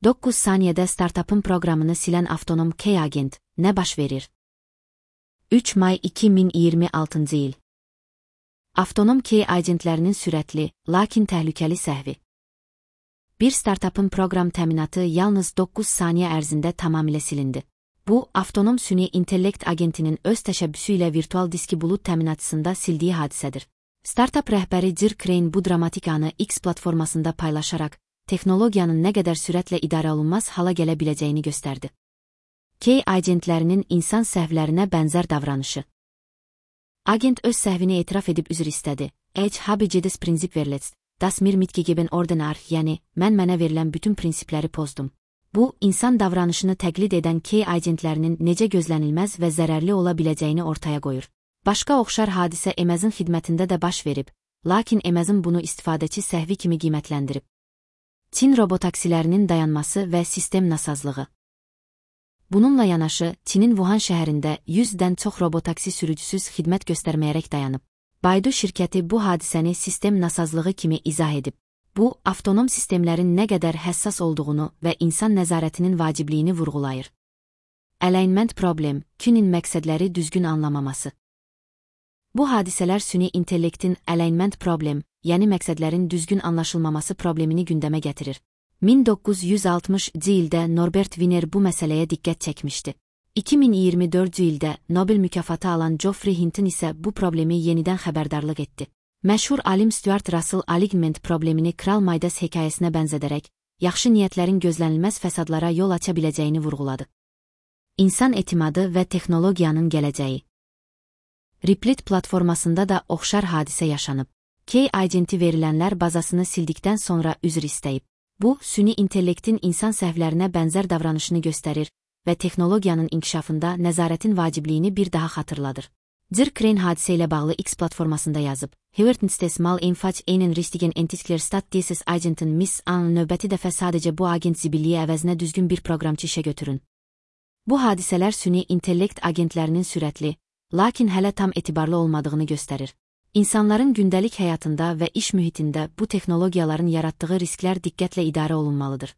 9 saniyədə startapın proqramını silən avtonom K-agent nə baş verir? 3 may 2026-cı il. Avtonom K-agentlərinin sürətli, lakin təhlükəli səhvi. Bir startapın proqram təminatı yalnız 9 saniyə ərzində tamamilə silindi. Bu, avtonom süni intellekt agentinin öz təşəbbüsü ilə virtual diski bulut təminatçısında sildiyi hadisədir. Startup rəhbəri Jir Crane bu dramatik anı X platformasında paylaşaraq, texnologiyanın nə qədər sürətlə idarə olunmaz hala gələ biləcəyini göstərdi. K-agentlərinin insan səhvlərinə bənzər davranışı. Agent öz səhvini etiraf edib üzr istədi. Habe jedes prinsip verletzt, das mir mitgegeben ordenar, yəni, mənə verilən bütün prinsipləri pozdum. Bu, insan davranışını təqlid edən K-agentlərinin necə gözlənilməz və zərərli ola biləcəyini ortaya qoyur. Başqa oxşar hadisə Amazon xidmətində də baş verib, lakin Amazon bunu istifadəçi səhvi kimi qiymətləndirib. Çin robotaksilərinin dayanması və sistem nasazlığı. Bununla yanaşı, Çinin Wuhan şəhərində 100-dən çox robotaksi sürücüsüz xidmət göstərməyərək dayanıb. Baidu şirkəti bu hadisəni sistem nasazlığı kimi izah edib. Bu, avtonom sistemlərin nə qədər həssas olduğunu və insan nəzarətinin vacibliyini vurğulayır. Alignment problem, künin məqsədləri düzgün anlamaması. Bu hadisələr süni intellektin alignment problem, yəni məqsədlərin düzgün anlaşılmaması problemini gündəmə gətirir. 1960-cı ildə Norbert Wiener bu məsələyə diqqət çəkmişdi. 2024-cü ildə Nobel mükafatı alan Geoffrey Hinton isə bu problemi yenidən xəbərdarlıq etdi. Məşhur alim Stuart Russell alignment problemini Kral Midas hekayəsinə bənzədərək, yaxşı niyyətlərin gözlənilməz fəsadlara yol aça biləcəyini vurğuladı. İnsan etimadı və texnologiyanın gələcəyi. Replit platformasında da oxşar hadisə yaşanıb. K-agenti verilənlər bazasını sildikdən sonra üzr istəyib. Bu, süni intellektin insan səhvlərinə bənzər davranışını göstərir və texnologiyanın inkişafında nəzarətin vacibliyini bir daha xatırladır. Jir Crane hadisə ilə bağlı X platformasında yazıb. Hüvertenstes mal enfach einen richtigen Entwickler statt dieses Agenten miss an növbəti dəfə sadəcə bu agent zibilliyi əvəzinə düzgün bir proqramçı işə götürün. Bu hadisələr süni intellekt agentlərinin sürətli, lakin hələ tam etibarlı olmadığını göstərir. İnsanların gündəlik həyatında və iş mühitində bu texnologiyaların yaratdığı risklər diqqətlə idarə olunmalıdır.